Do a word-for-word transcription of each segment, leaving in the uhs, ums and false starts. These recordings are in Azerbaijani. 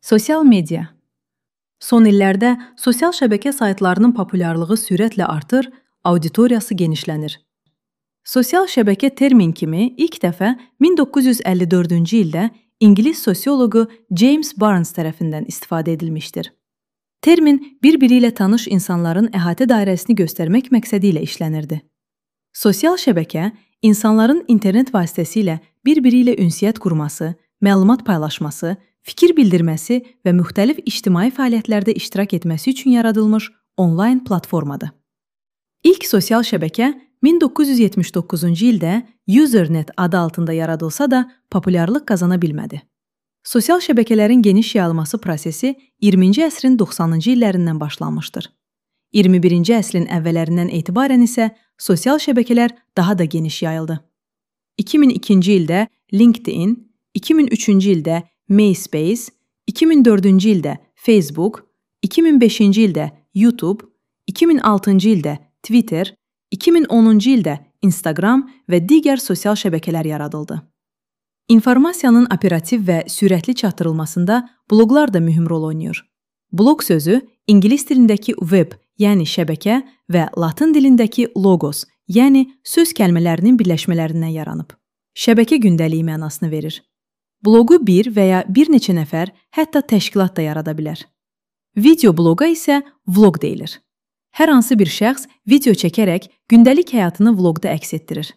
Sosial media. Son illərdə sosial şəbəkə saytlarının populyarlığı sürətlə artır, auditoriyası genişlənir. Sosial şəbəkə termin kimi ilk dəfə min doqquz yüz əlli dördüncü ildə İngilis sosioloqu James Barnes tərəfindən istifadə edilmişdir. Termin bir-biri ilə tanış insanların əhatə dairəsini göstərmək məqsədi ilə işlənirdi. Sosial şəbəkə insanların internet vasitəsilə bir-biri ilə ünsiyyət qurması, məlumat paylaşması, fikir bildirməsi və müxtəlif ictimai fəaliyyətlərdə iştirak etməsi üçün yaradılmış onlayn platformadır. İlk sosial şəbəkə min doqquz yüz yetmiş doqquzuncu ildə Usenet adı altında yaradılsa da populyarlıq qazana bilmədi. Sosial şəbəkələrin geniş yayılması prosesi iyirminci əsrin doxsanıncı illərindən başlanmışdır. iyirmi birinci əsrin əvvəllərindən etibarən isə sosial şəbəkələr daha da geniş yayıldı. iki min ikinci ildə LinkedIn, iki min üçüncü ildə MySpace, iki min dördüncü ildə Facebook, iki min beşinci ildə YouTube, iki min altıncı ildə Twitter, iki min onuncu ildə Instagram və digər sosial şəbəkələr yaradıldı. İnformasiyanın operativ və sürətli çatdırılmasında bloqlar da mühüm rol oynayır. Bloq sözü İngilis dilindəki web, yəni şəbəkə və Latın dilindəki logos, yəni söz kəlmələrinin birləşmələrindən yaranıb. Şəbəkə gündəliyi mənasını verir. Bloqu bir və ya bir neçə nəfər, hətta təşkilat da yarada bilər. Video bloqa isə vloq deyilir. Hər hansı bir şəxs video çəkərək gündəlik həyatını vloqda əks etdirir.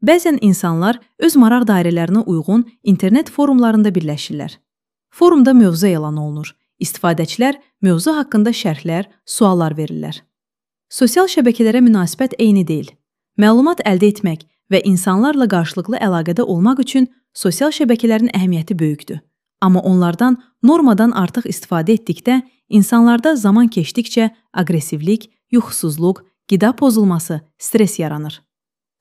Bəzən insanlar öz maraq dairələrinə uyğun internet forumlarında birləşirlər. Forumda mövzu elan olunur. İstifadəçilər mövzu haqqında şərhlər, suallar verirlər. Sosial şəbəkələrə münasibət eyni deyil. Məlumat əldə etmək və insanlarla qarşılıqlı əlaqədə olmaq üçün sosial şəbəkələrin əhəmiyyəti böyükdür. Amma onlardan normadan artıq istifadə etdikdə, insanlarda zaman keçdikcə aqressivlik, yuxusuzluq, qida pozulması, stres yaranır.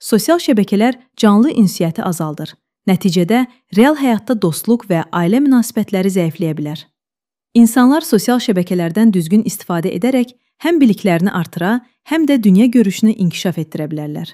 Sosial şəbəkələr canlı ünsiyyəti azaldır. Nəticədə real həyatda dostluq və ailə münasibətləri zəifləyə bilər. İnsanlar sosial şəbəkələrdən düzgün istifadə edərək həm biliklərini artıra, həm də dünya görüşünü inkişaf etdirə bilərlər.